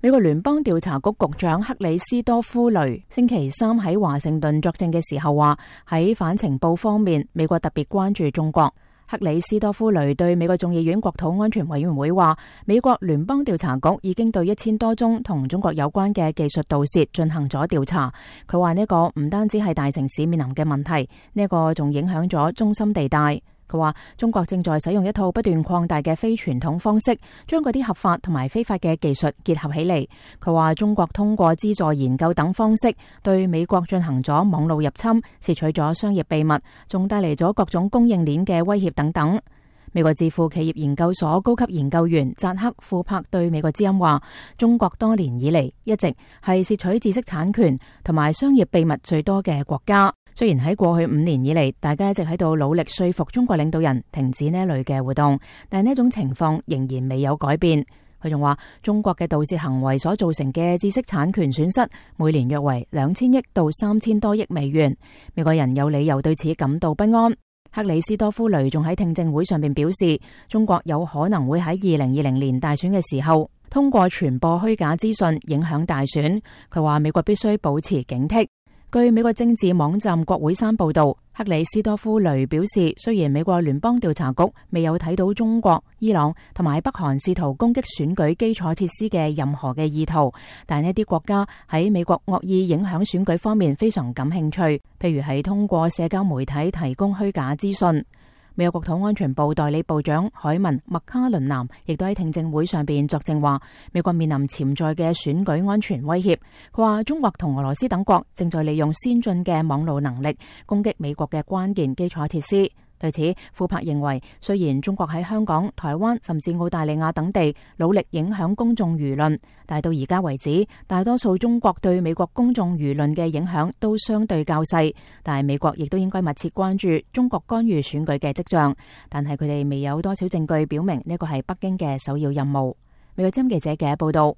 美國聯邦調查局局長克里斯多夫雷星期三喺華盛頓作證嘅時候話，喺反情報方面，美國特別關注中國。克里斯多夫雷對美國眾議院國土安全委員會話，美國聯邦調查局已經對1000多宗同中國有關嘅技術盜竊進行咗調查。佢話呢個唔單止係大城市面臨嘅問題，呢個仲影響咗中心地帶。佢話中國正在使用一套不斷擴大嘅非傳統方式，將嗰啲合法同埋非法嘅技術結合起嚟。佢話中國通過資助研究等方式對美國進行咗網路入侵，竊取咗商業秘密，仲帶嚟咗各種供應鏈嘅威脅等等。美國智庫企業研究所高級研究員扎克庫珀對美國之音話，中國多年以嚟一直係竊取知識產權同埋商業秘密最多嘅國家。雖然喺過去5年以嚟，大家一直喺度努力說服中國領導人停止呢類嘅活動，但呢種情況仍然未有改變。佢仲話，中國嘅盜竊行為所造成嘅知識產權損失，每年約為2000億到3000多億美元。美國人有理由對此感到不安。克里斯多夫雷仲喺聽證會上面表示，中國有可能會喺2020年大選嘅時候，通過傳播虛假資訊影響大選。佢話美國必須保持警惕。據美國政治網站國會山報道，克里斯多夫雷表示，雖然美國聯邦調查局未有睇到中國、伊朗同埋北韓試圖攻擊選舉基礎設施嘅任何嘅意圖，但呢啲國家喺美國惡意影響選舉方面非常感興趣，譬如係通過社交媒體提供虛假資訊。美國國土安全部代理部長凱文麥卡倫南亦都喺聽證會上邊作證話，美國面臨潛在嘅選舉安全威脅。佢話中國同俄羅斯等國正在利用先進嘅網絡能力攻擊美國嘅關鍵基礎設施。對此，庫珀認為，雖然中國喺香港、台灣甚至澳大利亞等地努力影響公眾輿論，但到而家為止，大多數中國對美國公眾輿論嘅影響都相對較細。但係美國亦都應該密切關注中國干預選舉嘅跡象，但係佢哋未有多少證據表明呢個係北京嘅首要任務。美國之音記者嘅報道。